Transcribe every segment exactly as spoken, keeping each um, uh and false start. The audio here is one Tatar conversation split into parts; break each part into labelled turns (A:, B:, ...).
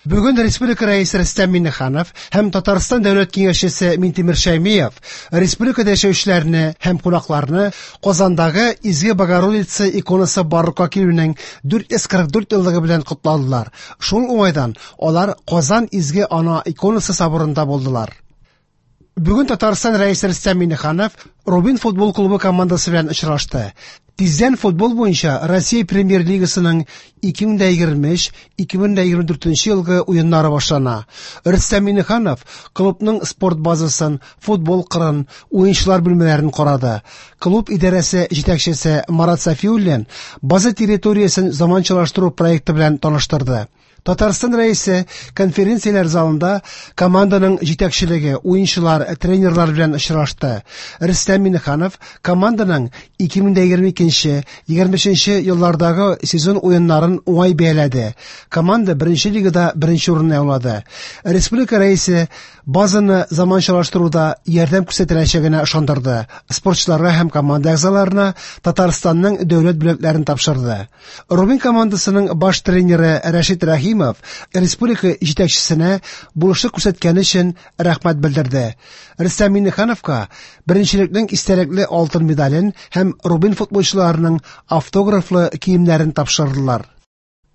A: Бүген Республика Рәисе Рөстәм Миңнеханов һәм Татарстан Дәүләт Киңәшчесе Минтимер Шәймиев республикада яшәүчеләрне һәм кунакларны Казандагы Изге Богородица иконасы барлыкка килүнең дүрт йөз кырык дүрт еллыгы белән котладылар. Шул уңайдан алар Казан Изге Ана иконасы соборында булдылар. Бүген Татарстан Рәисе Рөстәм Миңнеханов Рубин футбол клубы командасы белән очрашты. Тиздән футбол буенча Россия Премьер-лигасының ике мең егерме өч ике мең егерме дүртенче елгы уеннары башлана. Рөстәм Миңнеханов клубның спорт базасын, футбол кырын, уенчылар бүлмәләрен карады. Клуб идарәсе җитәкчесе Марат Сафиуллин база территориясен заманчалаштыру проекты белән таныштырды. Татарстан Рәисе конференцияләр залында команданың җитәкчелеге, уенчылар, тренерлар белән очрашты. Рөстәм Миңнеханов команданың ике мең егерме икенче, егерме өченче еллардагы сезон уеннарын уңай бәяләде. Команда беренче лигада беренче урынны яулады. Республика Рәисе базаны заманчалаштыруда ярдәм күрсәтеләчәгенә ышандырды. Спортчыларга һәм команда әгъзаларына Татарстанның дәүләт бүләкләрен тапшырды. Рубин командасының баш тренеры Рәшит Рәхимов республика җитәкчесенә булышлык күрсәткәне өчен рәхмәт белдерде. Рөстәм Миңнехановка беренчелекнең истәлекле алтын медален һәм Рубин футболчыларының автографлы киемнәрен тапшырдылар.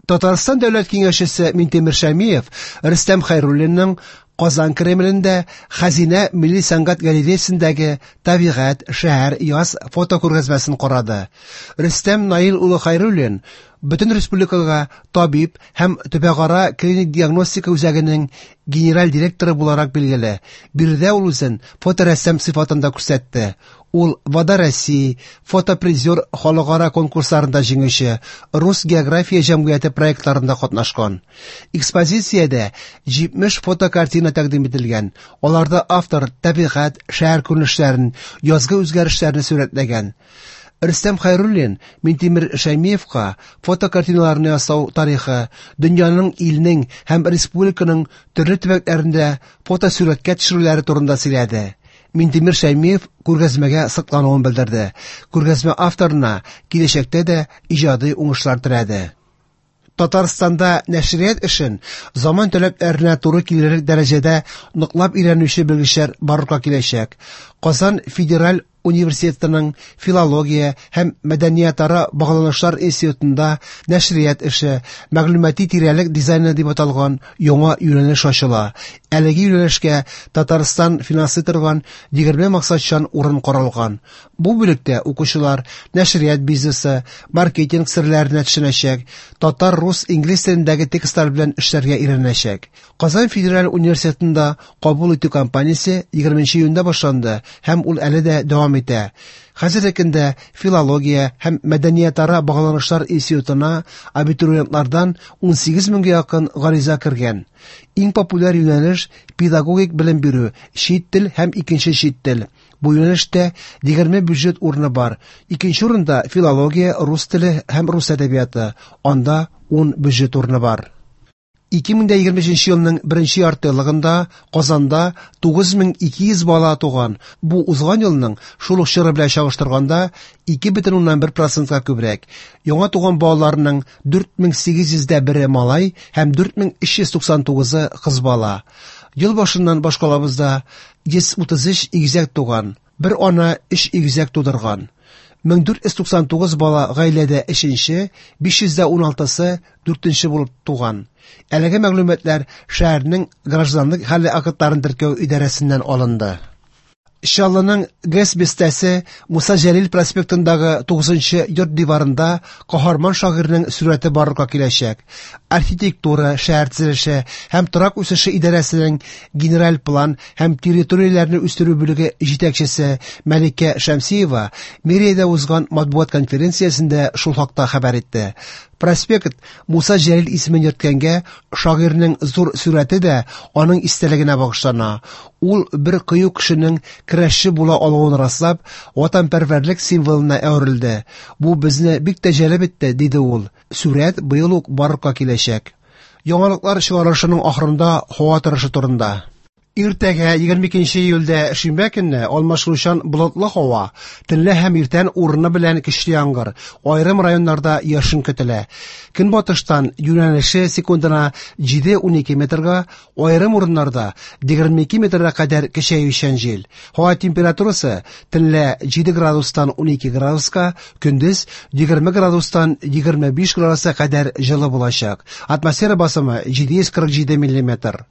A: Татарстан Дәүләт Киңәшчесе Минтимер Шәймиев Рөстәм Хәйруллинның Казан Кремлендә Хәзинә милли сәнгать галереясендәге Табигать, шәһәр, яз фотокүргәзмәсен карады. Рөстәм Наил улы Хәйруллин бөтен республикага табиб һәм төбәкара клиник диагностика үзәгенең генераль директоры буларак билгеле. Биредә ул үзен фоторәссам сыйфатында күрсәтте. Ул Вода России, фотопризер халыкара конкурсларында җиңүче, Рус география җәмгыяте проектларында катнашкан. Экспозициядә җитмеш фотокартина тәкъдим ителгән. Аларда автор табигать, шәһәр күренешләрен, язгы үзгәрешләрне сурәтләгән. Рөстәм Хәйруллин Минтимер Шәймиевка фотокартиналарны ясау тарихы, дөньяның, илнең һәм республиканың төрле төбәкләрендә фотосурәткә төшерүләре турында сөйләде. Минтимер Шәймиев күргәзмәгә соклануын белдерде. Күргәзмә авторына киләчәктә дә иҗади уңышлар теләде. Татарстанда нәшрият эшен заман таләпләренә туры килерлек дәрәҗәдә ныклап өйрәнүче белгечләр барлыкка киләчәк. Казан федераль университетының филология һәм мәдәниятара багланышлар институтында нәшрият эше, мәгълүмати тирәлек дизайны дип аталган яңа юнәлеш ачыла. Әлеге юнәлешкә Татарстан финанслый торган егерме максатчан урын каралган. Бу бүлектә укучылар нәшрият бизнесы, маркетинг серләренә төшенәчәк, татар, рус, инглиз телендәге текстлар белән эшләргә өйрәнәчәк. Казан федераль университетында кабул итү кампаниясе егерменче июньдә башланды һәм ул әле дә дәвам итә. Хәзерге көндә филология һәм мәдәниятара багланышлар институтына абитуриентлардан ун сигез меңгә якын гариза кергән. Иң популяр юнәлеш педагогик белем бирү, чит тел һәм икенче чит тел. Бу юнәлештә егерме бюджет урыны бар. Икенче урында филология, рус теле һәм рус әдәбияты. Анда ун бюджет урыны бар. Ике мең егерме өченче елның беренче ярты еллыгында Казанда тугыз мең ике йөз бала туган. Бу узган елның шул ук чоры белән чагыштырганда ике бөтен уннан бер процентка күбрәк. Яңа туган балаларның дүрт мең сигез йөздә бере малай һәм дүрт мең өч йөз туксан тугызы кыз бала. Ел башыннан башкалабызда йөз утыз өч игезәк туган, бер ана өч игезәк тудырган. Мең дүрт йөз туксан тугыз бала гаиләдә өченче, биш йөз дә уналтысы дүртенче булып туган. Әлеге мәгълүматлар шәһәрнең гражданлык хәле актларын теркәү идарәсеннән алынды. Чаллының ГЭС бистәсе Муса Җәлил проспектындагы тугызынчы йорт диварында каһарман шагыйрьнең сурәте барлыкка киләчәк. Архитектура, шәһәр төзелеше һәм торак үсеше идарәсенең генераль план һәм территорияләрне үстерү бүлеге җитәкчесе Мәликә Шәмсиева мэриядә узган матбугат конференциясендә шул хакта хәбәр итте. Проспект Муса Җәлил исемен йөрткәнгә шагыйрьнең зур сурәте дә аның истәлегенә багышлана. Ул бер кыю кешенең көрәшче була алуын раслап, ватанпәрвәрлек символына әверелде. Бу безне бик тә җәлеп итте, диде ул. Сурәт быел ук барлыкка киләчәк. Яңалыклар чыгарылышының ахырында һава торышы турында. Иртәгә егерме икенче июльдә шимбә көнне алмашынучан болытлы һава, төнлә һәм иртән урыны белән көчле яңгыр, аерым районнарда яшен көтелә. Көнбатыштан юнәлеше секундына җиде-унике метрга, аерым урыннарда егерме ике метрга кадәр көчәючән җил. Һава температурасы төнлә җиде градустан унике градуска, көндез егерме градустан егерме биш градуска кадәр җылы булачак. Атмосфера басымы җиде йөз кырык җиде миллиметр.